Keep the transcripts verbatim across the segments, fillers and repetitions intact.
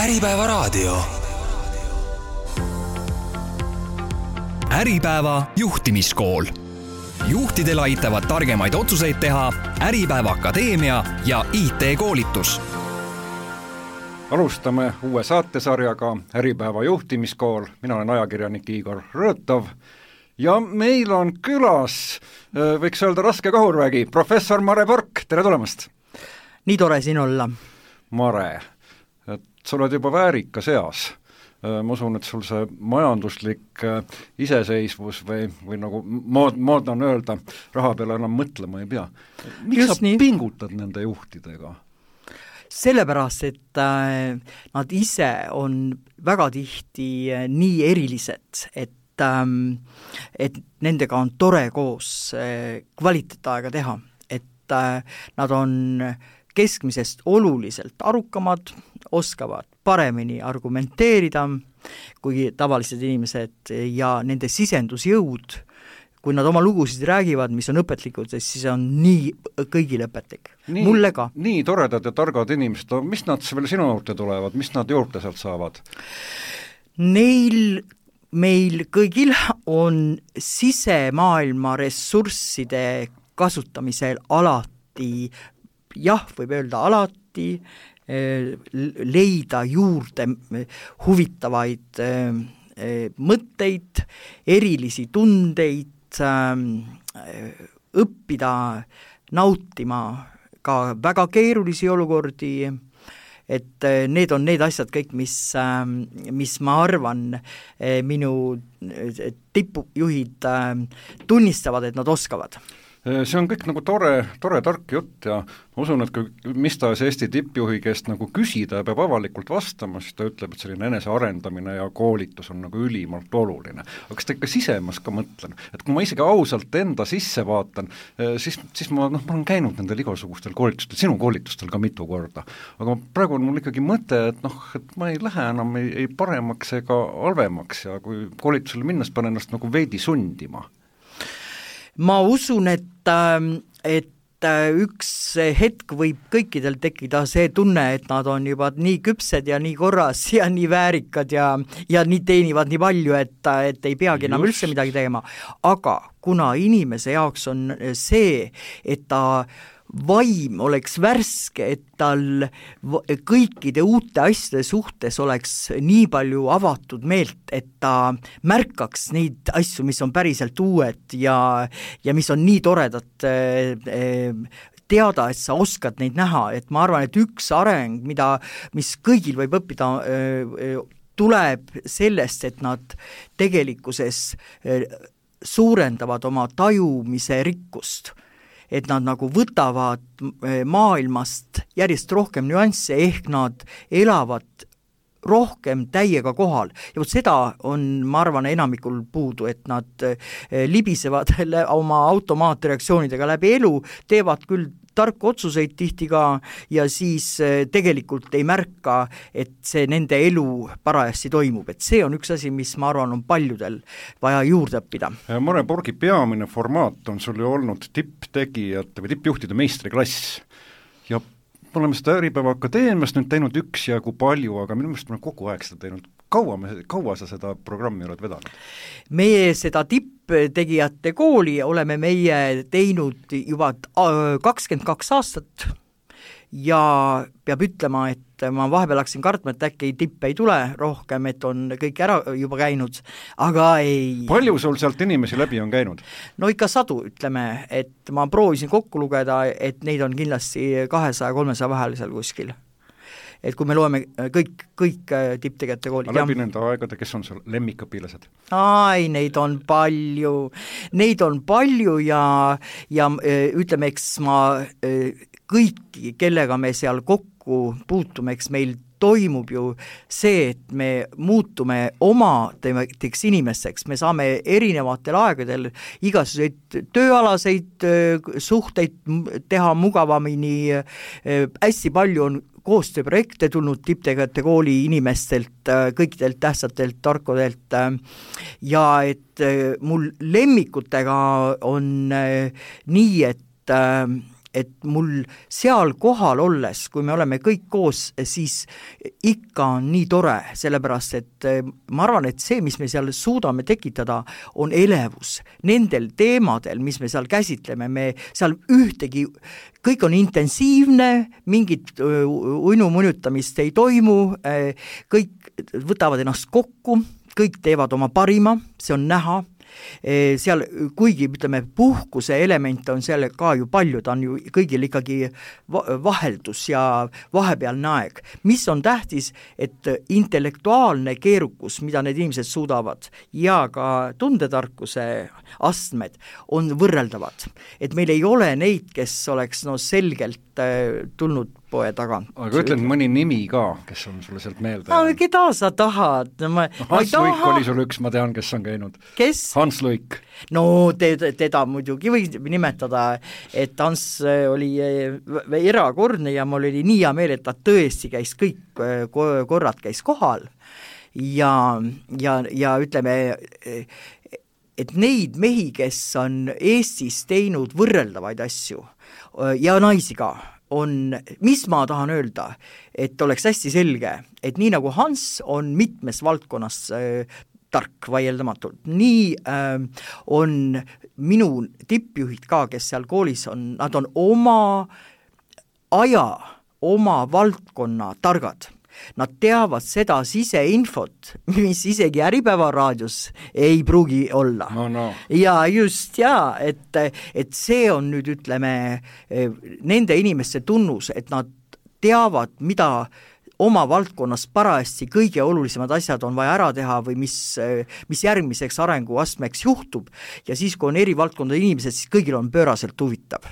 Äripäeva raadio. Äripäeva juhtimiskool. Juhtidel aitavad targemaid otsuseid teha Äripäeva Akadeemia ja I T-koolitus. Alustame uue saatesarjaga Äripäeva juhtimiskool. Mina olen ajakirjanik Igor Rõõtov ja meil on külas, võiks öelda raske kahurvägi, professor Mare Pork, tere tulemast! Nii tore siin olla. Mare, et sa oled juba väärika seas. Ma usun, et sul see majanduslik iseseisvus või, või nagu mood, mood on öelda, raha peale enam mõtlema ei pea. Miks Just sa nii? Pingutad nende juhtidega? Sellepärast, et äh, nad ise on väga tihti äh, nii erilised, et, ähm, et nendega on tore koos äh, kvaliteetaega teha, et äh, nad on keskmisest oluliselt arukamad, oskavad paremini argumenteerida kui tavalised inimesed ja nende sisendusjõud, kui nad oma lugusid räägivad, mis on õpetlikud, siis on nii kõigile õpetlik. Nii, Mulle ka. Nii toredad ja targad inimesed, mis nad veel sinu juurde tulevad, mis nad juurde sealt saavad? Neil, meil kõigil on sisemaailma ressursside kasutamisel alati, jah, võib öelda alati, leida juurde huvitavaid mõtteid, erilisi tundeid, õppida nautima ka väga keerulisi olukordi, et need on need asjad kõik, mis, mis ma arvan, minu tipujuhid tunnistavad, et nad oskavad. See on kõik nagu tore, tore tark jutt ja ma usun, et kui mis tahes Eesti tippjuhi käest nagu küsida ja peab avalikult vastama, siis ta ütleb, et selline enesearendamine ja koolitus on nagu ülimalt oluline. Aga kas ta ikka sisemas ka mõtlen? Et kui ma isegi ausalt enda sisse vaatan, siis, siis ma, noh, ma olen käinud nendel igasugustel koolitustel, sinu koolitustel ka mitu korda. Aga praegu on mul ikkagi mõte, et noh, et ma ei lähe enam ei, ei paremaks ega halvemaks ja kui koolitusele minnes panen ennast nagu veidi sundima. Ma usun, et, et üks hetk võib kõikidel tekkida see tunne, et nad on juba nii küpsed ja nii korras ja nii väärikad ja, ja nii teenivad nii palju, et, et ei peagi enam üldse midagi tegema. Aga kuna inimese jaoks on see, et ta vaim oleks värske, et tal kõikide uute asjade suhtes oleks nii palju avatud meelt, et ta märkaks neid asju, mis on päriselt uued ja, ja mis on nii toredad teada, et sa oskad neid näha, et ma arvan, et üks areng, mida, mis kõigil võib õppida, tuleb sellest, et nad tegelikkuses suurendavad oma tajumise rikkust, et nad nagu võtavad maailmast järjest rohkem nüansse, ehk nad elavad rohkem täiega kohal. Ja võt seda on, ma arvan, enamikul puudu, et nad libisevad oma automaatreaktsioonidega läbi elu, teevad küll tarku otsuseid tihti ka ja siis tegelikult ei märka, et see nende elu parajasti toimub. Et see on üks asi, mis ma arvan on paljudel vaja juurde õppida. Mare Porgi peamine formaat on sul ju olnud tipptegijate või tippjuhtide meistriklass ja me oleme seda Äripäeva Akadeemiast nüüd teinud üksjagu palju, aga minu meelest me oleme kogu aeg seda teinud. Kaua, me, kaua sa seda programmi oled vedanud? Meie seda tipptegijate kooli oleme meie teinud juba kakskümmend kaks aastat ja peab ütlema, et ma vahepeal hakkasin kartma, et äkki tippe ei tule rohkem, et on kõik ära juba käinud, aga ei. Palju sul sealt inimesi läbi on käinud? No ikka sadu, ütleme, et ma proovisin kokku lugeda, et neid on kindlasti kahesaja kolmesaja vahel seal kuskil. Et kui me loeme kõik, kõik tipptegijate koolid. A läbi nende aegade, kes on sul lemmikõpilased? Ai, neid on palju. Neid on palju ja, ja ütleme, eks ma kõiki, kellega me seal kokku puutume, eks meil toimub ju see, et me muutume oma teeks inimesteks, me saame erinevatel aegadel igasuguseid tööalaseid suhteid teha mugavamini, hästi palju on koostööprojekte tulnud tipptegijate kooli inimestelt, kõikidelt tähtsatelt tarkudelt ja et mul lemmikutega on nii, et et mul seal kohal olles, kui me oleme kõik koos, siis ikka on nii tore, sellepärast et ma arvan, et see, mis me seal suudame tekitada, on elevus nendel teemadel, mis me seal käsitleme, me seal ühtegi, kõik on intensiivne, mingit uinumunutamist ei toimu, kõik võtavad ennast kokku, kõik teevad oma parima, see on näha, seal kuigi ütleme puhkuse element on seal ka ju palju, ta on ju kõigil ikkagi vaheldus ja vahepealne aeg. Mis on tähtis, et intellektuaalne keerukus, mida need inimesed suudavad ja ka tundetarkuse astmed on võrreldavad. Et meil ei ole neid, kes oleks no selgelt tulnud poe tagant. Aga ütlen mõni nimi ka, kes on sulle sealt meelde. No, keda sa tahad? No, ma, no, Hans Luik taha... oli sul üks, ma tean, kes on käinud. Kes? Hans Luik. No te, teda muidugi võib nimetada, et Hans oli erakordne ja mul oli nii hea meel, et ta tõesti käis kõik korrad käis kohal ja, ja, ja ütleme, et neid mehi, kes on Eestis teinud võrreldavaid asju ja naisi ka, on, mis ma tahan öelda, et oleks hästi selge, et nii nagu Hans on mitmes valdkonnas äh, tark vaieldamatult, nii äh, on minu tippjuhid ka, kes seal koolis on, nad on oma aja, oma valdkonna targad. Nad teavad seda siseinfot, mis isegi Äripäeva raadios ei pruugi olla. No, no. Ja just, ja, et, et see on nüüd, ütleme, nende inimeste tunnus, et nad teavad, mida oma valdkonnas parajasti kõige olulisemad asjad on vaja ära teha või mis, mis järgmiseks arenguastmeks juhtub ja siis, kui on eri valdkondade inimesed, siis kõigil on pööraselt huvitav.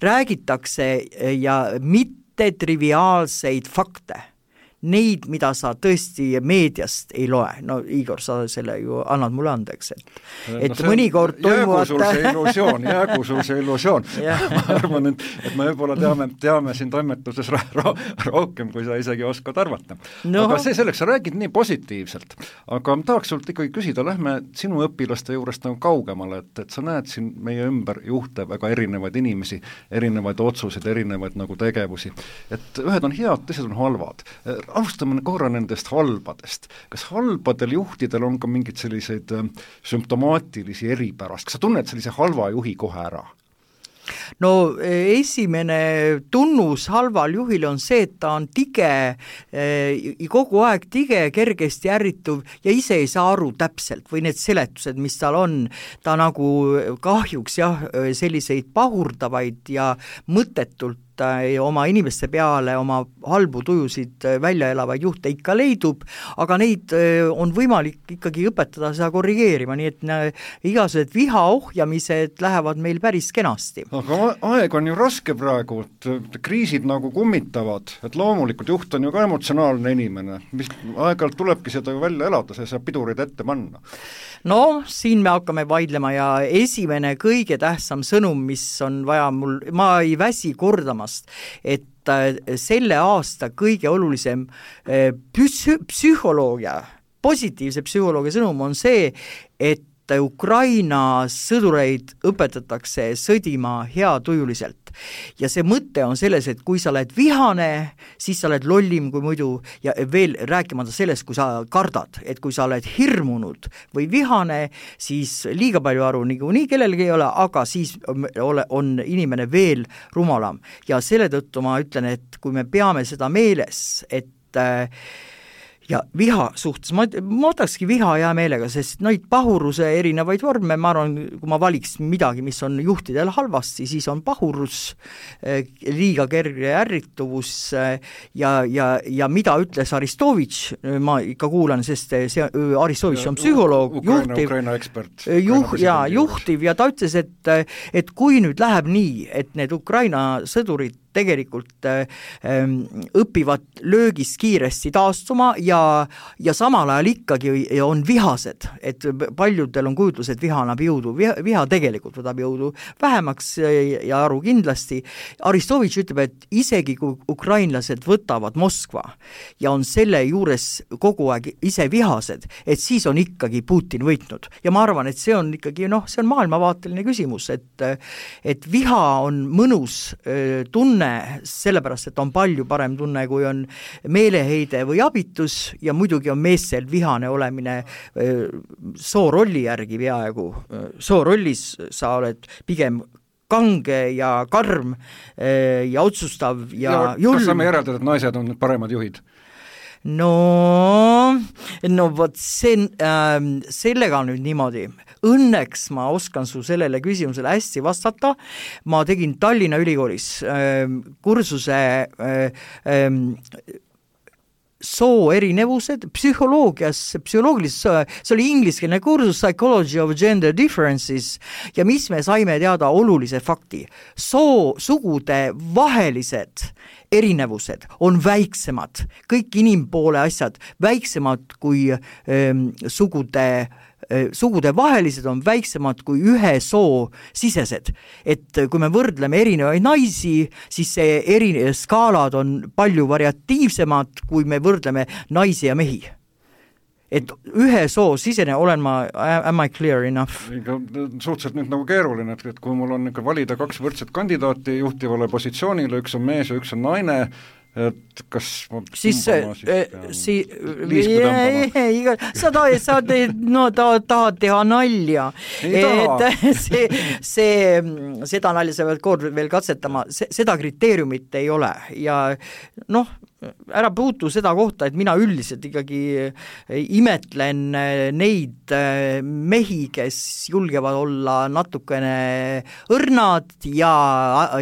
Räägitakse ja mitte triviaalseid fakte, neid, mida sa tõesti meediast ei loe. No Igor, sa selle ju annad mulle andeks, et, et no mõnikord toimuvad... Jäägu sul see illusioon, jäägu sul see illusioon. ma arvan, et, et me võib-olla teame, teame siin toimetuses ra- ra- rohkem, kui sa isegi oskad arvata. No. Aga see selleks, sa räägid nii positiivselt. Aga ma tahaks sult ikkagi küsida, lähme sinu õpilaste juurest nagu kaugemale, et, et sa näed siin meie ümber juhte väga erinevaid inimesi, erinevaid otsuseid, erinevaid nagu tegevusi. Et ühed on head, teised on halvad. Alustame korra nendest halbadest. Kas halbadel juhtidel on ka mingid selliseid sümptomaatilisi eripärast? Kas sa tunned sellise halva juhi kohe ära? No esimene tunnus halval juhil on see, et ta on tige, kogu aeg tige, kergesti ärrituv ja ise ei saa aru täpselt või need seletused, mis tal on, ta nagu kahjuks jah, selliseid pahurdavaid ja mõttetult oma inimeste peale oma halbu tujusid välja elavaid juhte ikka leidub, aga neid on võimalik ikkagi õpetada seda korrigeerima, nii et igasugused viha ohjamised lähevad meil päris kenasti. Aga aeg on ju raske praegu, et kriisid nagu kummitavad, et loomulikult juht on ju ka emotsionaalne inimene, mis aeg-ajalt tulebki seda ju välja elada, see saab pidurid ette panna. No, siin me hakkame vaidlema ja esimene kõige tähtsam sõnum, mis on vaja mul, ma ei väsi kordamast, et selle aasta kõige olulisem psü- psühholoogia, positiivse psühholoogia sõnum on see, et Ukraina sõdureid õpetatakse sõdima heatujuliselt. Ja see mõte on selles, et kui sa oled vihane, siis sa oled lollim kui muidu ja veel rääkimata sellest, kui sa kardad, et kui sa oled hirmunud või vihane, siis liiga palju aru nii, nii kellelgi ei ole, aga siis ole, on inimene veel rumalam. Ja selle tõttu ma ütlen, et kui me peame seda meeles, et äh, ja viha suhtes, ma, ma võtakski viha hea meelega, sest neid pahuruse erinevaid vorme, ma arvan, kui ma valiks midagi, mis on juhtidel halvasti, siis on pahurus, liiga kerge ärrituvus ja, ja, ja mida ütles Aristovitš, ma ikka kuulan, sest see Aristovitš on psühholoog, Ukraina, juhtiv, Ukraina ekspert, juh, ja, juhtiv ja ta ütles, et, et kui nüüd läheb nii, et need Ukraina sõdurid tegelikult ähm, õpivad löögist kiiresti taastuma ja, ja samal ajal ikkagi on vihased, et paljudel on kujutlus, et viha annab jõudu, viha, viha tegelikult võtab jõudu vähemaks ja aru kindlasti. Aristovitš ütleb, et isegi kui ukrainlased võtavad Moskva ja on selle juures kogu aeg ise vihased, et siis on ikkagi Putin võitnud. Ja ma arvan, et see on ikkagi, noh, see on maailmavaateline küsimus, et, et viha on mõnus tunne, sellepärast, et on palju parem tunne, kui on meeleheide või abitus ja muidugi on meestel vihane olemine soorolli järgi peaaegu. Soorollis sa oled pigem kange ja karm ja otsustav ja, ja julm. Kas saame järeldada, et naised on paremad juhid? No, no vot see, äh, sellega nüüd niimoodi. Õnneks ma oskan su sellele küsimusele hästi vastata. Ma tegin Tallinna Ülikoolis äh, kursuse äh, äh, soo erinevused, psühholoogias, psühholoogilises, see oli ingliskeelne kursus Psychology of Gender Differences ja mis me saime teada olulise fakti. Soo sugude vahelised erinevused on väiksemad, kõik inimpoole asjad väiksemad kui ähm, sugude sugude vahelised on väiksemad kui ühe soo sisesed. Et kui me võrdleme erinevaid naisi, siis see eri skaalad on palju variatiivsemad, kui me võrdleme naisi ja mehi. Et ühe soo sisene olen ma, am I clear enough? Suhteliselt nüüd nagu keeruline, et kui mul on ikka valida kaks võrdset kandidaati juhtivale positsioonile, üks on mees ja üks on naine, et kas ma siis, si, iga, sa tahad, sa te, no, tahad, tahad teha nalja, et see, see, seda nalja sa pead kord veel katsetama, se, seda kriteeriumit ei ole ja noh, ära puutu seda kohta, et mina üldiselt ikkagi imetlen neid mehi, kes julgevad olla natukene õrnad ja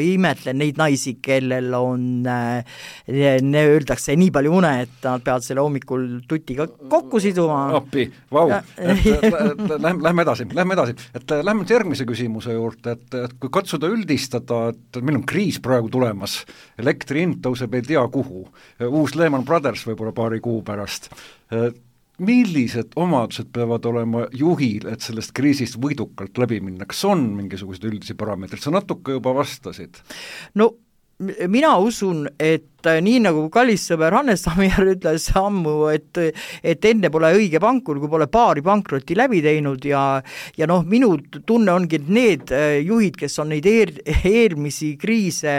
imetlen neid naisi, kellel on ne öeldakse nii palju une, et nad peavad selle hommikul tutiga kokku siduma. Appi, vau, lähme, lähme edasi, lähme edasi, et lähme järgmise küsimuse juurde, et, et kui katsuda üldistada, et meil on kriis praegu tulemas, elektri hind tõuseb ei tea kuhu, uus Lehman Brothers võib-olla paari kuu pärast. Millised omadused peavad olema juhil, et sellest kriisist võidukalt läbi minna? Kas on mingisugused üldisi parameetrid? Sa natuke juba vastasid. No mina usun, et nii nagu kallis sõber Hannes Tammier ütles ammu, et, et enne pole õige pankur, kui pole paari pankrotti läbi teinud ja, ja noh, minu tunne ongi, et need juhid, kes on neid eer, eelmisi kriise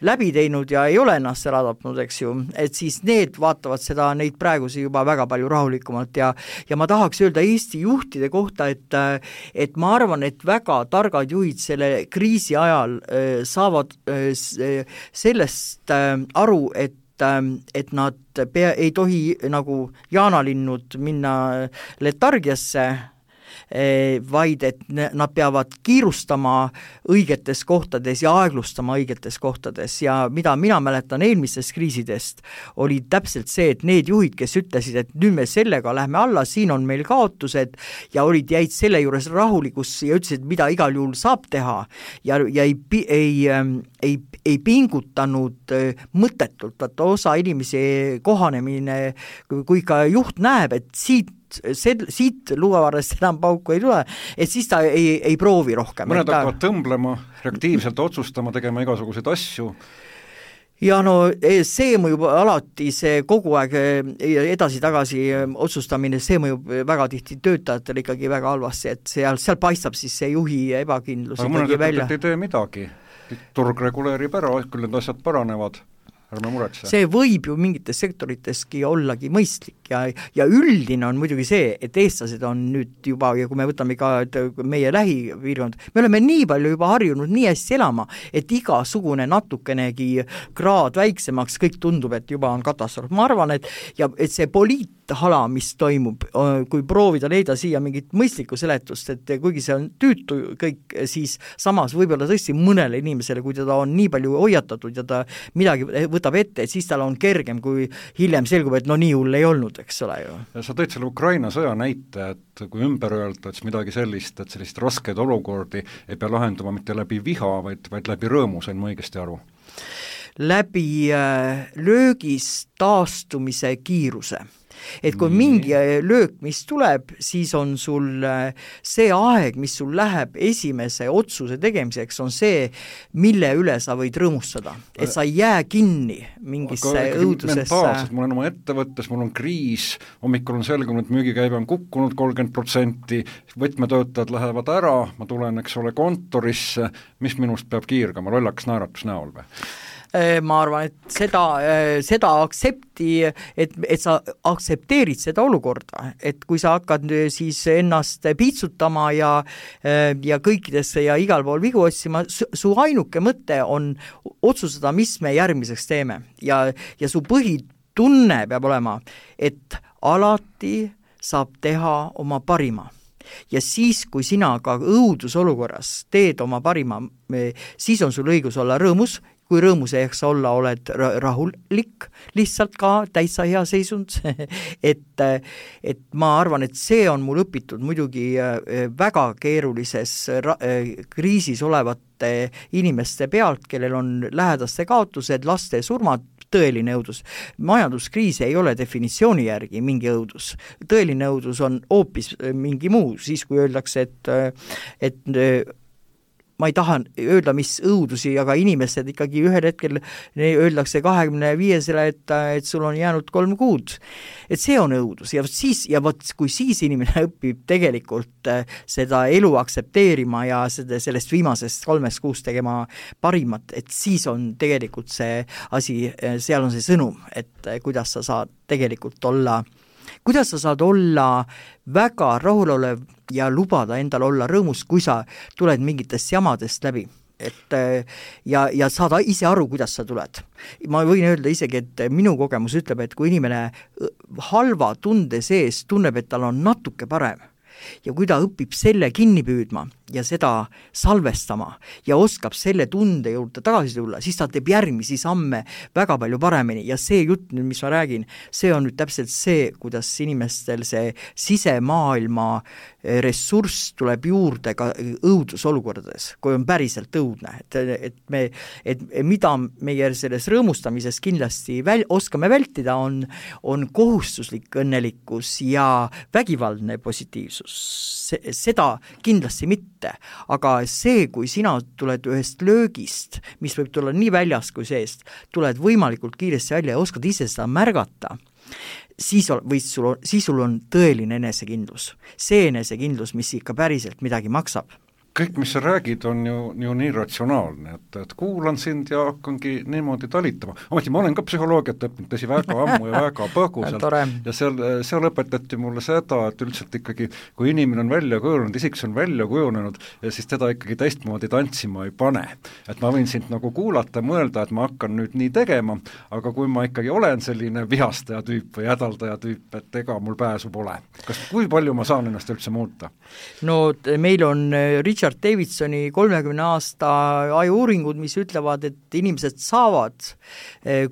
läbi teinud ja ei ole ennast ära tapnud, eks ju, et siis need vaatavad seda, neid praegusi juba väga palju rahulikumalt ja, ja ma tahaks öelda Eesti juhtide kohta, et, et ma arvan, et väga targad juhid selle kriisi ajal äh, saavad äh, sellest äh, aru, et, et nad pea, ei tohi nagu jaanalinnud minna letargiasse, vaid et nad peavad kiirustama õigetes kohtades ja aeglustama õigetes kohtades ja mida mina mäletan eelmistest kriisidest, oli täpselt see, et need juhid, kes ütlesid, et nüüd me sellega lähme alla, siin on meil kaotused ja olid, jäid selle juures rahulikus ja ütlesid, mida igal juhul saab teha ja, ja ei, ei, ei, ei pingutanud mõttetult, vaata osa inimesi kohanemine, kui ka juht näeb, et siit See, siit luuavarrest enam pauku ei tule, et siis ta ei, ei proovi rohkem. Mõned ta... hakkavad tõmblema, reaktiivselt otsustama, tegema igasuguseid asju. Ja no see mõjub alati, see kogu aeg edasi-tagasi otsustamine, see mõjub väga tihti töötajatele ikkagi väga halvasti, et seal, seal paistab siis see juhi ebakindlus aga ikkagi välja. Aga mõned ei tee midagi, turg reguleerib ära, küll need asjad paranevad. See võib ju mingites sektoriteski ollagi mõistlik ja, ja üldine on muidugi see, et eestlased on nüüd juba, ja kui me võtame ka meie lähipiirkond, me oleme nii palju juba harjunud nii hästi elama, et igasugune natukenegi kraad väiksemaks, kõik tundub, et juba on katastroof. Ma arvan, et, ja, et see poliithala, mis toimub, kui proovida leida siia mingit mõistlikku seletust, et kuigi see on tüütu kõik, siis samas võib-olla tõesti mõnele inimesele, kui teda on nii palju hoiatatud ja ta midagi võtab ette, et siis tal on kergem, kui hiljem selgub, et no nii hull ei olnud, eks ole ju. Sa tõid selle Ukraina sõja näite, et kui ümber öelda, et midagi sellist, et sellist raskeid olukordi ei pea lahendama mitte läbi viha, vaid, vaid läbi rõõmu, sain ma õigesti aru? läbi löögist taastumise kiiruse. Et kui mingi löök, mis tuleb, siis on sul see aeg, mis sul läheb esimese otsuse tegemiseks, on see, mille üle sa võid rõõmustada. Et sa ei jää kinni mingisse õudusesse. Mentaalselt, mul on oma ettevõttes, mul on kriis, hommikul on selgunud, et müügikäive on kukkunud kolmkümmend protsenti, võtmetöötajad lähevad ära, ma tulen, eks ole, kontorisse, mis minust peab kiirgama, lollaks naeratus näol või? Ma arvan, et seda, seda aktsepti, et, et sa aktsepteerid seda olukorda, et kui sa hakkad siis ennast piitsutama ja, ja kõikidesse ja igal pool vigu otsima, su ainuke mõte on otsustada, mis me järgmiseks teeme ja, ja su põhitunne peab olema, et alati saab teha oma parima. Ja siis, kui sina ka õudusolukorras teed oma parima, siis on sul õigus olla rõõmus, kui rõõmus ehks olla, oled rahulik, lihtsalt ka täitsa hea seisund, et, et ma arvan, et see on mul õpitud muidugi väga keerulises kriisis olevate inimeste pealt, kellel on lähedaste kaotused, laste surmad, tõeline õudus. Majanduskriis ei ole definitsiooni järgi mingi õudus. Tõeline õudus on hoopis mingi muu, siis kui öeldakse, et, et ma ei taha öelda, mis õudusi, aga inimesed ikkagi ühel hetkel öeldakse kahekümne viiesele, et, et sul on jäänud kolm kuud. Et see on õudus ja siis, ja võt, kui siis inimene õpib tegelikult seda elu aksepteerima ja seda, sellest viimasest kolmest kuust tegema parimat, et siis on tegelikult see asi, seal on see sõnum, et kuidas sa saad tegelikult olla kuidas sa saad olla väga rahulolev ja lubada endal olla rõõmus, kui sa tuled mingitest jamadest läbi. Et, ja, ja saada ise aru, kuidas sa tuled. Ma võin öelda isegi, et minu kogemus ütleb, et kui inimene halva tunde sees tunneb, et tal on natuke parem ja kui ta õpib selle kinni püüdma ja seda salvestama ja oskab selle tunde juurde tagasi tulla, siis ta teeb järgmisi samme väga palju paremini ja see jutt nüüd, mis ma räägin, see on nüüd täpselt see, kuidas inimestel see sisemaailma ressurss tuleb juurde ka õudusolukordades, kui on päriselt õudne, et, et, me, et mida meie selles rõõmustamises kindlasti väl, oskame vältida, on, on kohustuslik õnnelikkus ja vägivaldne positiivsus. Seda kindlasti mitte, aga see, kui sina tuled ühest löögist, mis võib tulla nii väljast kui seest, tuled võimalikult kiiresti välja ja oskad ise seda märgata, siis, või sul on, siis sul on tõeline enesekindlus. See enesekindlus, mis ikka päriselt midagi maksab. Kõik, mis sa räägid, on ju, ju nii ratsionaalne, et, et kuulan sind ja hakkangi niimoodi talitama. Ometi ma olen ka psühholoogiat õppinud, tõsi väga ammu ja väga põgusalt ja seal, seal õpetati mulle seda, et üldiselt ikkagi, kui inimene on välja kujunenud, isiks on välja kujunenud ja siis teda ikkagi teistmoodi tantsima ei pane. Et ma võin sind nagu kuulata, mõelda, et ma hakkan nüüd nii tegema, aga kui ma ikkagi olen selline vihastaja tüüp või hädaldaja tüüp, et ega mul pääsu pole. Kas, kui palju ma saan ennast üldse muuta? No meil on Richard Davidsoni kolmekümne aasta ajuuringud, mis ütlevad, et inimesed saavad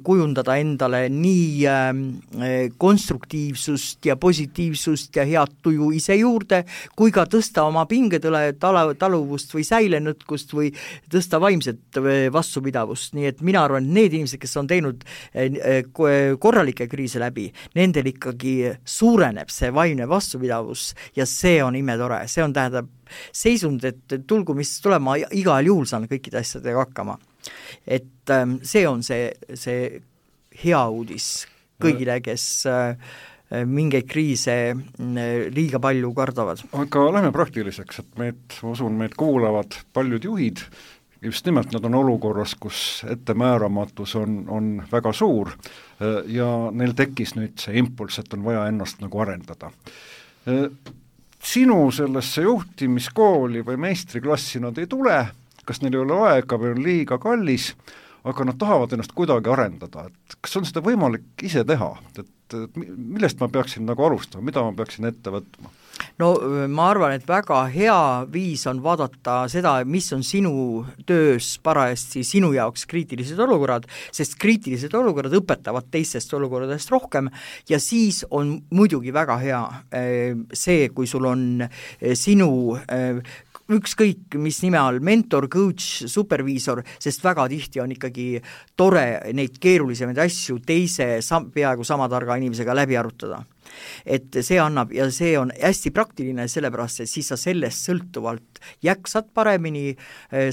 kujundada endale nii konstruktiivsust ja positiivsust ja head tuju ise juurde, kui ka tõsta oma pingetõle taluvust või säilenõtkust või tõsta vaimset vastupidavust. Nii et mina arvan, et need inimesed, kes on teinud korralikke kriise läbi, nendel ikkagi suureneb see vaimne vastupidavus ja see on imetore, see on tähendab seisund, et tulgu mis tulema, igal juhul saan kõikide asjadega hakkama. Et see on see, see hea uudis kõigile, kes mingeid kriise liiga palju kardavad. Aga lähme praktiliseks, et meid, usun, meid kuulavad paljud juhid, just nimelt nad on olukorras, kus ettemääramatus on, on väga suur ja neil tekkis nüüd see impulss, et on vaja ennast nagu arendada. Sinu sellesse juhtimiskooli või meistriklassi nad ei tule, kas neil ei ole aega või on liiga kallis, aga nad tahavad ennast kuidagi arendada, et kas on seda võimalik ise teha, et, et millest ma peaksin nagu alustama, mida ma peaksin ette võtma? No ma arvan, et väga hea viis on vaadata seda, mis on sinu töös parajasti sinu jaoks kriitilised olukorrad, sest kriitilised olukorrad õpetavad teistest olukorradest rohkem ja siis on muidugi väga hea see, kui sul on sinu ükskõik mis nime all, mentor, coach, superviisor, sest väga tihti on ikkagi tore neid keerulisemaid asju teise sam- peaaegu sama targa inimesega läbi arutada. Et see annab ja see on hästi praktiline, sellepärast et siis sa sellest sõltuvalt jäksad paremini,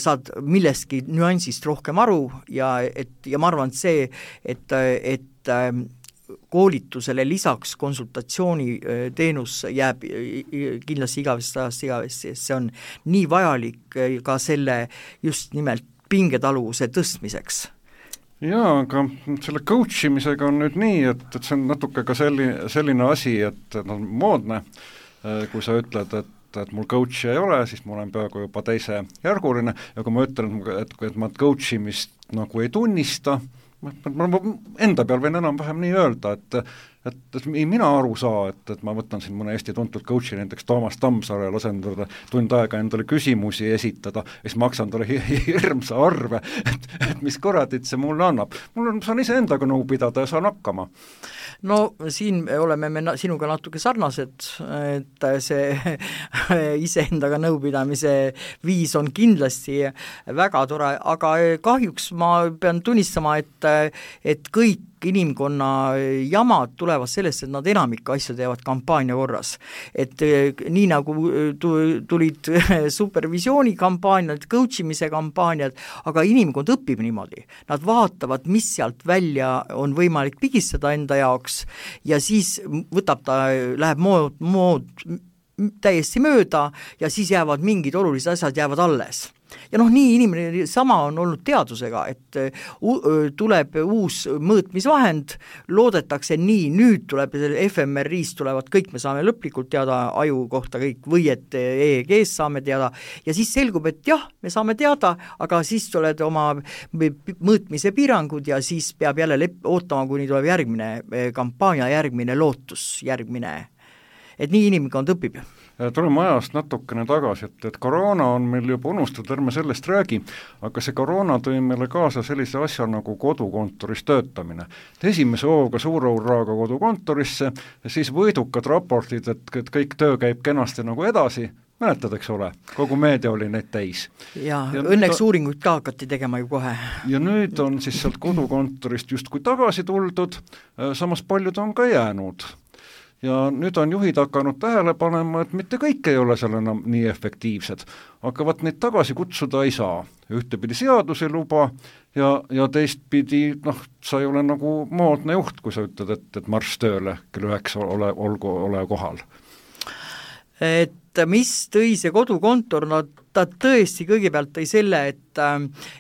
saad millestki nüansist rohkem aru ja, et, ja ma arvan, et see, et, et koolitusele lisaks konsultatsiooni teenus jääb kindlasti igavesest ajast igavesti, see on nii vajalik ka selle just nimelt pingetaluvuse tõstmiseks. Jaa, aga selle coach imisega on nüüd nii, et, et see on natuke ka selline, selline asi, et on moodne, kui sa ütled, et et mul coach'i ei ole, siis ma olen peaaegu juba teise järguline ja kui ma ütlen, et, et ma coach imist nagu ei tunnista, ma, ma, ma enda peal võin enam-vähem nii öelda, et et, et mina aru saa, et, et ma võtan siin mõne Eesti tuntud coach'i, näiteks Toomas Tammsaare, lasen talle tund aega endale küsimusi esitada, ja siis maksan talle hirmsa arve, et, et mis kuradit see mulle annab. Mul on, saan ise endaga nõu pidada ja saan hakkama. No siin oleme me sinuga natuke sarnased, et see iseendaga nõupidamise viis on kindlasti väga tore, aga kahjuks ma pean tunnistama, et, et kõik inimkonna jamad tulevad sellest, et nad enamik asju teevad kampaania korras. Et nii nagu tulid supervisiooni kampaaniad, coach imise kampaaniad, aga inimkond õpib niimoodi. Nad vaatavad, mis sealt välja on võimalik pigistada enda jaoks ja siis võtab ta, läheb mood, mood täiesti mööda ja siis jäävad mingid olulised asjad jäävad alles. Ja noh, nii inimene sama on olnud teadusega, et tuleb uus mõõtmisvahend, loodetakse nii, nüüd tuleb F M R I-st tulevad kõik, me saame lõplikult teada aju kohta kõik, või et E E G-st saame teada, ja siis selgub, et jah, me saame teada, aga siis tuleb oma mõõtmise piirangud ja siis peab jälle lep- ootama, kuni tuleb järgmine kampaania, järgmine lootus, järgmine, et nii inimkond õpib. Tuleme ajast natukene tagasi, et, et koroona on meil juba unustatud, ärme sellest räägi, aga see koroona tõi meile kaasa sellise asja nagu kodukontoris töötamine. Esimese hooga suure hurraaga kodukontorisse ja siis võidukad raportid, et, et kõik töö käib kenasti nagu edasi, mäletad, eks ole, kogu meedia oli neid täis. Ja, ja õnneks ta... uuringuid ka hakati tegema ju kohe. Ja nüüd on siis sealt kodukontorist justkui tagasi tuldud, samas paljud on ka jäänud. Ja nüüd on juhid hakanud tähele panema, et mitte kõik ei ole seal enam nii efektiivsed, aga vaat neid tagasi kutsuda ei saa. Ühtepidi seadus ei luba ja, ja teistpidi, noh, sa ei ole nagu moodne juht, kui sa ütled, et, et marss tööle, kell üheksa ole, olgu, ole kohal. Et mis tõi see kodukontor, no ta tõesti kõigepealt tõi selle, et,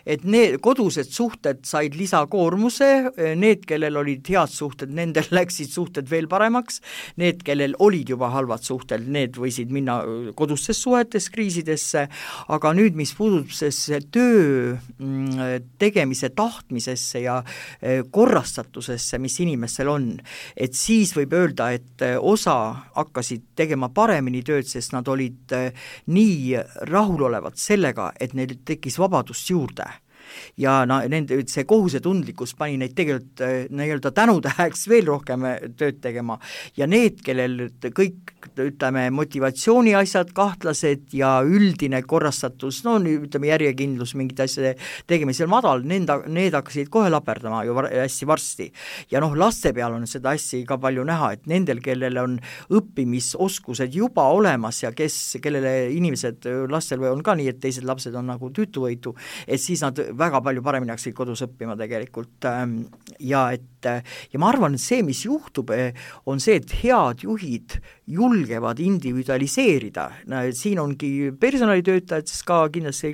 et need kodused suhted said lisakoormuse, need, kellel olid head suhted, nendel läksid suhted veel paremaks, need, kellel olid juba halvad suhted, need võisid minna kodustes suhetes kriisidesse, aga nüüd, mis puudub see töö tegemise tahtmisesse ja korrastatusesse, mis inimestel on, et siis võib öelda, et osa hakkasid tegema paremini tööd, sest nad olid nii rahul olevat sellega, et neil tekkis vabadust juurde. Ja na, nende, see kohusetundlikkus pani neid tegelikult nii-öelda tänutäheks veel rohkem tööd tegema. Ja need, kellel kõik, ütleme, motivatsiooni asjad, kahtlased ja üldine korrastatus, no ütleme, järjekindlus mingite asjade tegemisel madal, need, need hakkasid kohe laperdama ju var, hästi varsti. Ja noh, laste peal on seda asja ka palju näha, et nendel, kellel on õppimisoskused juba olemas ja kes, kellele inimesed, lastel on ka nii, et teised lapsed on nagu tüütuvõitu, et siis nad väga palju paremini hakkasid kodus õppima tegelikult ja et ja ma arvan, et see, mis juhtub, on see, et head juhid julgevad individualiseerida. Siin ongi personalitöötajad ka kindlasti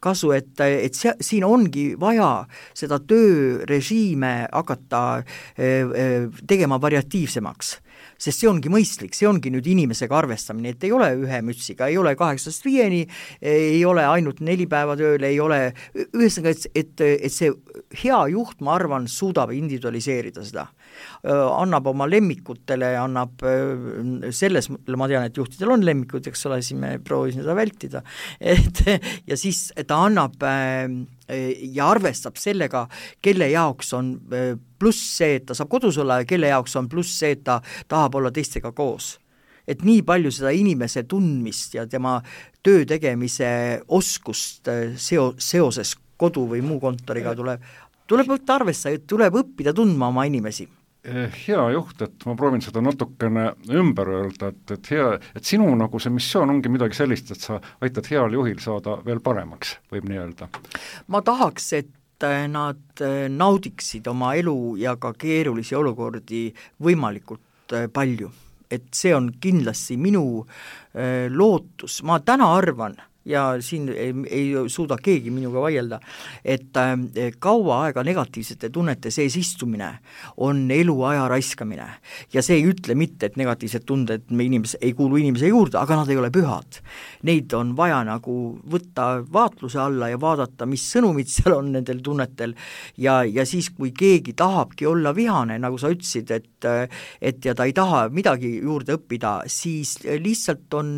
kasu, et, et see, siin ongi vaja seda töörežiime hakata tegema variatiivsemaks. Sest see ongi mõistlik, see ongi nüüd inimesega arvestamine, et ei ole ühe mütsiga, ei ole kaheksast viieni, ei ole ainult neli päeva tööle, ei ole, ühesõnaga, et, et, et see hea juht, ma arvan, suudab individualiseerida seda. Annab oma lemmikutele, annab selles, ma tean, et juhtidel on lemmikud, eks ole, siis me proovisime seda vältida, et, ja siis ta annab ja arvestab sellega, kelle jaoks on pluss see, et ta saab kodus olla ja kelle jaoks on pluss see, et ta tahab olla teistega koos. et nii palju seda inimese tundmist ja tema töö tegemise oskust seo-, seoses kodu või muu kontoriga tuleb, tuleb võtta arvesse, tuleb õppida tundma oma inimesi. Hea juht, et ma proovin seda natukene ümber öelda, et, et hea, et sinu nagu see missioon ongi midagi sellist, et sa aitad heal juhil saada veel paremaks, võib nii öelda. Ma tahaks, et nad naudiksid oma elu ja ka keerulisi olukordi võimalikult palju. Et see on kindlasti minu äh, lootus, ma täna arvan, ja siin ei, ei suuda keegi minuga vaielda, et äh, kaua aega negatiivsete tunnete sees istumine on eluaja raiskamine. Ja see ei ütle mitte, et negatiivsed tunded me inimese, ei kuulu inimese juurde, aga nad ei ole pühad. Neid on vaja nagu võtta vaatluse alla ja vaadata, mis sõnumid seal on nendel tunnetel ja, ja siis, kui keegi tahabki olla vihane, nagu sa ütlesid, et, et ja ta ei taha midagi juurde õppida, siis lihtsalt on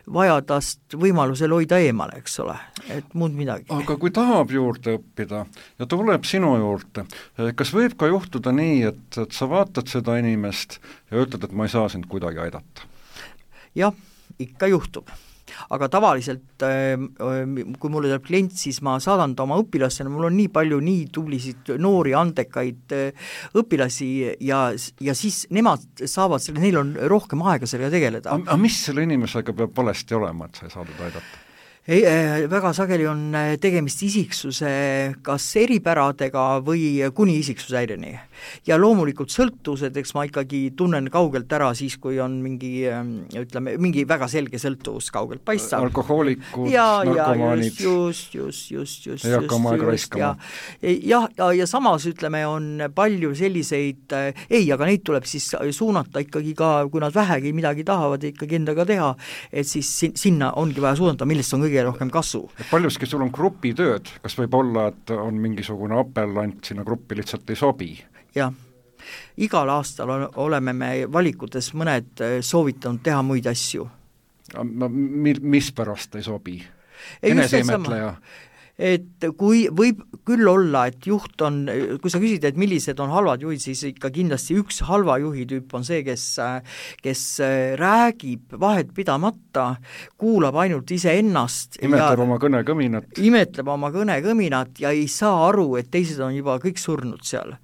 vaja tast võimalusel hoida eemale, eks ole, et muud midagi. Aga kui tahab juurde õppida ja tuleb sinu juurde, kas võib ka juhtuda nii, et, et sa vaatad seda inimest ja ütled, et ma ei saa sind kuidagi aidata? Jah, ikka juhtub. Aga tavaliselt, kui mulle tuleb klient, siis ma saadan ta oma õpilasena, mul on nii palju nii tublisid noori, andekaid õpilasi ja, ja siis nemad saavad selle, neil on rohkem aega sellega tegeleda. Aga mis selle inimesega peab valesti olema, et sa ei saadud aidata? Ei, väga sageli on tegemist isiksuse kas eripäradega või kuni isiksuse häireni. Ja loomulikult sõltuvused, eks ma ikkagi tunnen kaugelt ära siis, kui on mingi, ütleme, mingi väga selge sõltuvus kaugelt paistab. Alkohoolikud, narkomaanid. Just, just, just, just. Ei hakka oma aega raiskama. Ja, ja, ja, ja samas, ütleme, on palju selliseid, ei, aga neid tuleb siis suunata ikkagi ka, kui nad vähegi midagi tahavad ikkagi endaga teha, et siis sinna ongi vaja suunata, millest on kõige rohkem kasu. Paljuski sul on grupitööd, kas võib olla, et on mingisugune apellant sinna gruppi lihtsalt ei sobi? Jah, igal aastal oleme me valikutes mõned soovitanud teha muid asju. Mis pärast ei sobi? Ei, Eneseimetleja? Et kui võib küll olla, et juht on, kui sa küsid, et millised on halvad juhid, siis ikka kindlasti üks halva juhi tüüp on see, kes, kes räägib vahet pidamata, kuulab ainult iseennast. Imetleb ja, oma kõnekõminat. Imetleb oma kõnekõminat ja ei saa aru, et teised on juba kõik surnud seal.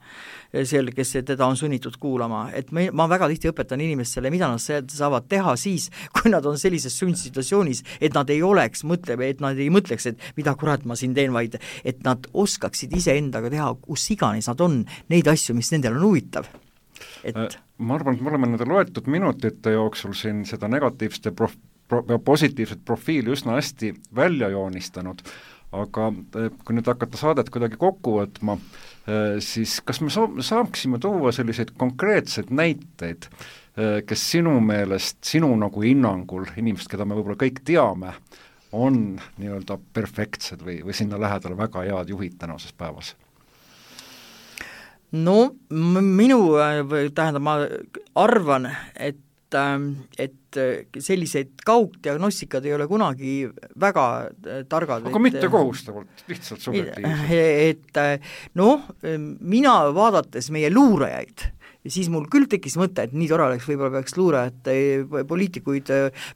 Sel, kes teda on sunnitud kuulama, et me, ma väga tihti õpetan inimestele, mida nad saavad teha siis, kui nad on sellises sundsituatsioonis, et nad ei oleks, mõtleb, et nad ei mõtleks, et mida kurat ma siin teen, vaid et nad oskaksid ise endaga teha, kus iganes nad on, neid asju, mis nendel on huvitav. Et... Ma arvan, et me oleme nende loetud minutite jooksul siin seda negatiivset ja prof, pro, positiivset profiili üsna hästi välja joonistanud, aga kui nüüd hakata saadet kuidagi kokku võtma, siis kas me saaksime tuua selliseid konkreetseid näiteid, kes sinu meelest, sinu nagu hinnangul, inimesed, keda me võib-olla kõik teame, on nii-öelda perfektsed või, või sinna lähedale väga head juhid tänases päevas? No minu, tähendab, ma arvan, et et selliseid kaugdiagnostikad ei ole kunagi väga targad. Aga et, mitte kohustavalt, lihtsalt subjektiivselt. Et noh, mina vaadates meie luurajaid, ja siis mul küll tekkis mõte, et nii tore oleks, võib-olla peaks luurajad, poliitikuid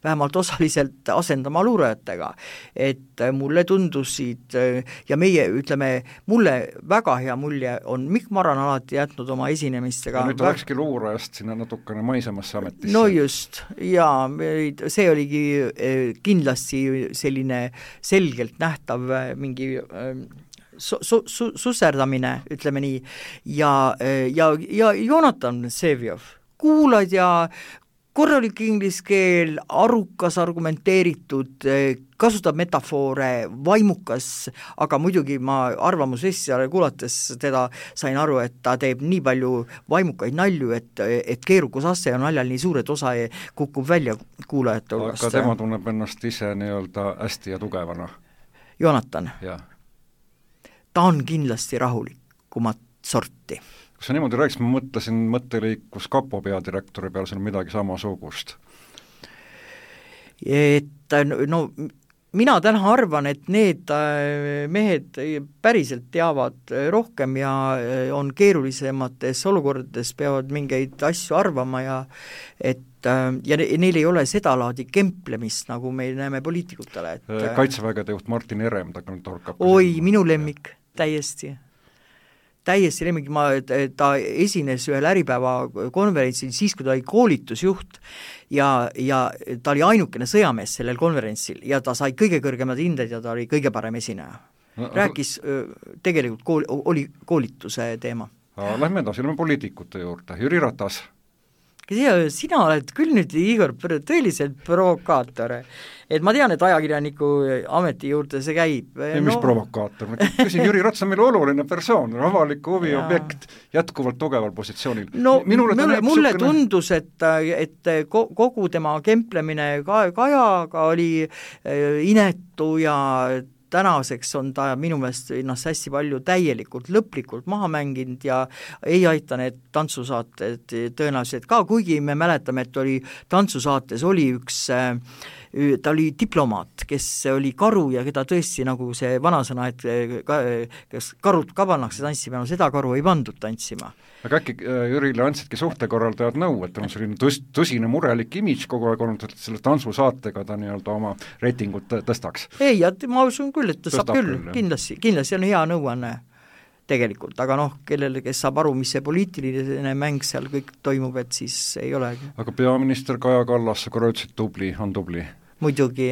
vähemalt osaliselt asendama luurajatega. Et mulle tundusid ja meie, ütleme, mulle väga hea mulje on Mikk Maran alati jätnud oma esinemistega. Ja nüüd ta läkski luurajast sinna natukene maisemasse ametisse. No just, ja see oligi kindlasti selline selgelt nähtav mingi Su, su, su, susserdamine, ütleme nii, ja, ja, ja Jonatan Sevjov, kuulad ja korralik inglise keel, arukas, argumenteeritud, kasutab metafoore, vaimukas, aga muidugi ma arvamusessijale kuulates teda sain aru, et ta teeb nii palju vaimukaid nalju, et, et keerukusasse on naljal nii suur, et osa kukub välja kuulajate hulgast. Aga tema tunneb ennast ise nii-öelda hästi ja tugevana. Jonatan? Jah. Ta on kindlasti rahulikumat sorti. Kui sa niimoodi rääkis, ma mõtlesin mõtteliikus Kapo peadirektori peal, see on midagi samasugust. Et no mina täna arvan, et need mehed päriselt teavad rohkem ja on keerulisemates olukordades, peavad mingeid asju arvama ja et ja neil ei ole seda laadi kemplemist, nagu meil näeme poliitikutele. Et Kaitsevägede juht Martin Herem, ta torkab. Oi, minu lemmik, täiesti. täiesti lemmik, ma, ta esines ühel Äripäeva konverentsil siis, kui ta oli koolitusjuht ja, ja ta oli ainukene sõjamees sellel konverentsil ja ta sai kõige kõrgemad hinded ja ta oli kõige parem esineja. No, rääkis, tegelikult kool, oli koolituse teema. Lähme edasi, lähme poliitikute juurde, Jüri Ratas. Sina oled küll nüüd, Igor, tõeliselt provokaator. Et ma tean, et ajakirjaniku ameti juurde see käib. Ei, mis no... provokaator? Ma küsin, Jüri Ratas on meil oluline persoon, avaliku huvi ja. objekt, jätkuvalt tugeval positsioonil. No Minule mulle, mulle sukkene... tundus, et, et kogu tema kemplemine Kajaga oli inetu ja tänaseks on ta minu meelest ennast hästi palju täielikult, lõplikult maha mänginud ja ei aita need tantsusaated tõenäoliselt ka, kuigi me mäletame, et oli tantsusaates oli üks, ta oli diplomaat, kes oli karu ja keda tõesti nagu see vanasõna, et kas karud ka pannakse tantsima, no seda karu ei pandud tantsima. Aga äkki Jürile andsidki suhtekorraldajad nõu, et on selline tõs, tõsine murelik imidž kogu aeg olnud, et selle tantsusaatega ta nii-öelda oma reitingut tõstaks? Ei, ja ma usun küll, et ta saab küll, küll kindlasti, kindlasti on hea nõuanne tegelikult, aga noh, kellele, kes saab aru, mis see poliitiline mäng seal kõik toimub, et siis ei olegi. Aga peaminister Kaja Kallas, sa korra ütlesid tubli, on tubli? Muidugi,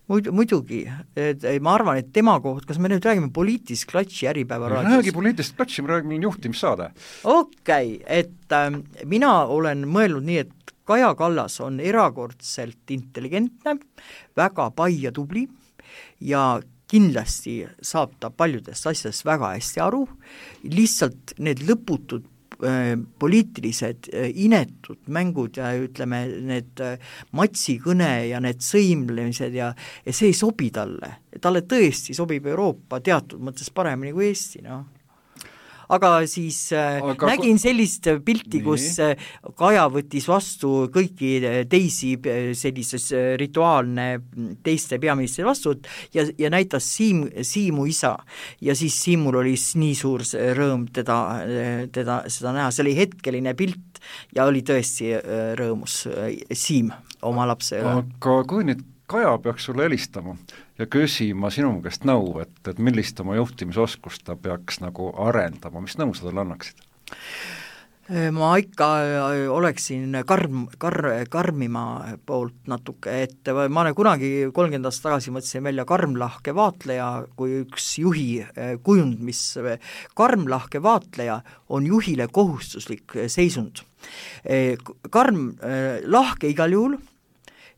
muid, muidugi, et ma arvan, et tema koht, kas me nüüd räägime poliitilist klatši Äripäeva raadios? Räägi poliitilist klatši, me räägime juhtimissaade. Okei, okay, et äh, mina olen mõelnud nii, et Kaja Kallas on erakordselt intelligentne, väga pai ja tubli ja kindlasti saab ta paljudest asjadest väga hästi aru, lihtsalt need lõputud äh, poliitilised äh, inetud mängud ja ütleme, need äh, matsikõne ja need sõimlemised ja, ja see ei sobi talle. Talle tõesti sobib Euroopa teatud mõttes paremini kui Eesti, noh. Aga siis äh, aga nägin sellist pilti, kus äh, Kaja võttis vastu kõiki teisi sellises rituaalne teiste peaministri vastu ja, ja näitas Siim, Siimu isa ja siis Siimul oli nii suur rõõm teda, teda seda näha, see oli hetkeline pilt ja oli tõesti rõõmus Siim oma lapse. Aga kui nüüd Kaja peaks sulle helistama ja küsima sinu käest nõu, et, et millist oma juhtimisoskust ta peaks nagu arendama, mis nõu sa talle annaksid? Ma ikka oleksin karm, kar, karmima poolt natuke, et ma olen kunagi kolmkümmend aastat tagasi mõtlesin välja karmlahke vaatleja kui üks juhi kujund, mis karmlahke vaatleja on juhile kohustuslik seisund. Karm lahke igal juhul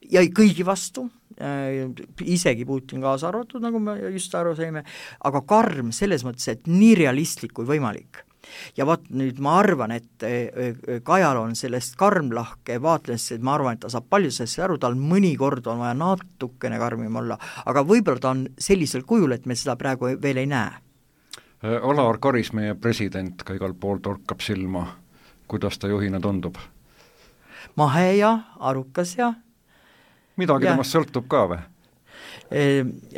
ja kõigi vastu, isegi Putin kaasa arvatud, nagu me just aru saime, aga karm selles mõttes, et nii realistlik kui võimalik. Ja vaat nüüd ma arvan, et Kajal on sellest karmlahke vaatlest, et ma arvan, et ta saab palju sellest aru, tal mõnikord on vaja natukene karmim olla, aga võib-olla ta on sellisel kujul, et me seda praegu veel ei näe. Alar Karis, meie president, ka igal pool torkab silma, kuidas ta juhina tundub? Mahe ja arukas ja midagi ja. Temast sõltub ka või?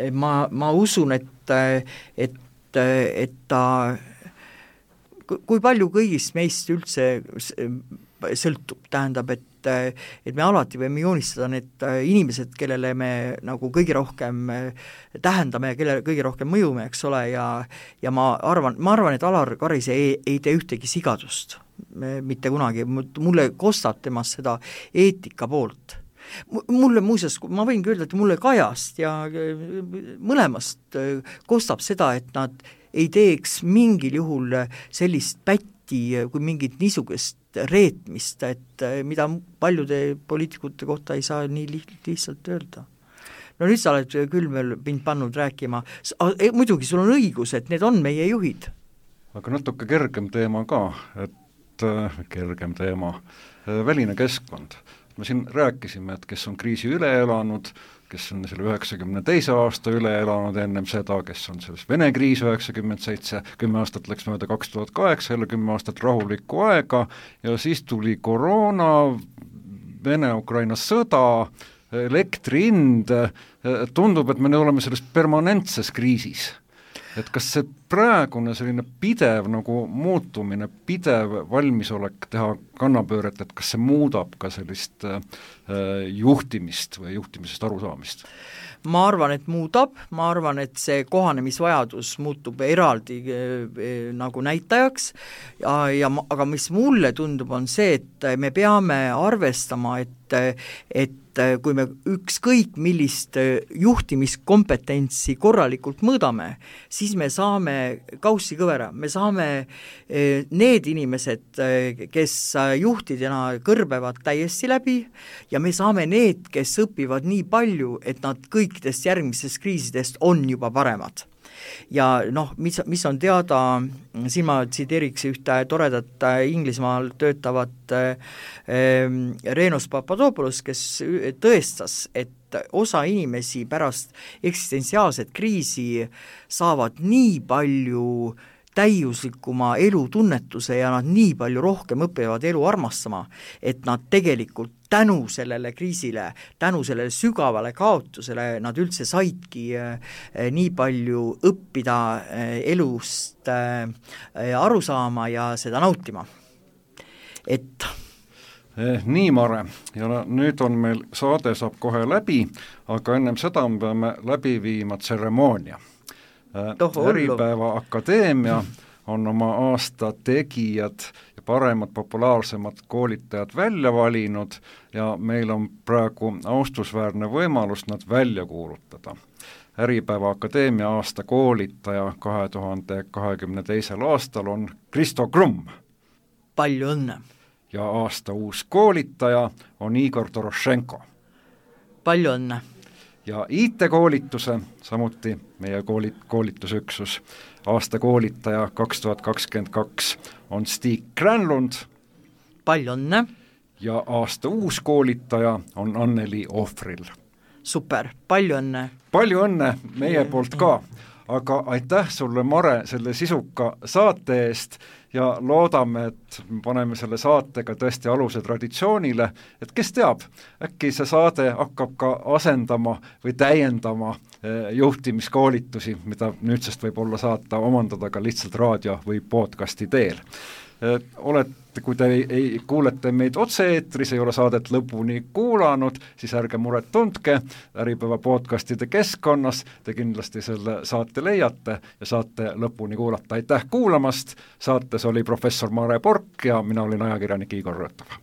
Ma, ma usun, et, et, et ta, kui palju kõigist meist üldse sõltub, tähendab, et, et me alati võime joonistada need inimesed, kellele me nagu kõige rohkem tähendame ja kellele kõige rohkem mõjume, eks ole, ja, ja ma arvan, ma arvan, et Alar Karis ei, ei tee ühtegi sigadust, mitte kunagi, mulle kostab temast seda eetika poolt. Mulle muuseas, ma võin öelda, et mulle Kajast ja mõlemast kostab seda, et nad ei teeks mingil juhul sellist pätti kui mingit niisugust reetmist, et mida paljude poliitikute kohta ei saa nii lihtsalt öelda. No nüüd sa oled küll meil mind pannud rääkima, muidugi sul on õigus, et need on meie juhid. Aga natuke kergem teema ka, et kergem teema, väline keskkond. Me siin rääkisime, et kes on kriisi üle elanud, kes on selle üheksakümne teise aasta üle elanud ennem seda, kes on selles Vene kriis üheksakümmend seitse, kümme aastat läks mööda kaks tuhat kaheksa, jälle kümme aastat rahulikku aega ja siis tuli koroona, Vene-Ukraina sõda, elektri hind, tundub, et me oleme selles permanentses kriisis. Et kas see praegune selline pidev nagu muutumine, pidev valmisolek teha kannapööret, et kas see muudab ka sellist äh, juhtimist või juhtimisest arusaamist? Ma arvan, et muudab, ma arvan, et see kohanemisvajadus muutub eraldi äh, nagu näitajaks, ja, ja, aga mis mulle tundub, on see, et me peame arvestama, et, et kui me ükskõik millist juhtimiskompetentsi korralikult mõõdame, siis me saame kaussi kõvera, me saame need inimesed, kes juhtidena kõrbevad täiesti läbi ja me saame need, kes õpivad nii palju, et nad kõikidest järgmisest kriisidest on juba paremad. Ja noh, mis, mis on teada, siin ma tsiteeriks ühte toredat Inglismaal töötavat äh, Renos Papadopoulos, kes tõestas, et osa inimesi pärast eksistentsiaalset kriisi saavad nii palju täiuslikuma elutunnetuse ja nad nii palju rohkem õpivad elu armastama, et nad tegelikult tänu sellele kriisile, tänu sellele sügavale kaotusele nad üldse saidki nii palju õppida elust aru saama ja seda nautima. Et eh, nii, Mare, ja nüüd on meil saade saab kohe läbi, aga ennem seda me peame läbi viima tseremoonia. Äripäeva Akadeemia on oma aasta tegijad ja paremad, populaarsemad koolitajad välja valinud ja meil on praegu austusväärne võimalus nad välja kuulutada. Äripäeva Akadeemia aasta koolitaja kahe tuhande kahekümne teisel aastal on Kristo Krumm. Palju õnne! Ja aasta uus koolitaja on Igor Dorošenko. Palju õnne! Ja I T-koolituse, samuti meie koolit, koolitusüksus, aasta koolitaja kaks tuhat kakskümmend kaks on Stig Granlund. Palju õnne! Ja aasta uus koolitaja on Anneli Ohvril. Super, palju õnne! Palju õnne meie poolt ka, aga aitäh sulle, Mare, selle sisuka saate eest ja loodame, et paneme selle saatega tõesti aluse traditsioonile, et kes teab, äkki see saade hakkab ka asendama või täiendama juhtimiskoolitusi, mida nüüdsest võib olla saata omandada ka lihtsalt raadio või podcasti teel. Olete, kui te ei, ei kuulete meid otse-eetris, ei ole saadet lõpuni kuulanud, siis ärge muret tundke, Äripäeva podcastide keskkonnas te kindlasti selle saate leiate ja saate lõpuni kuulata. Aitäh kuulamast, saates oli professor Mare Pork ja mina olin ajakirjanik Igor Rõõtov.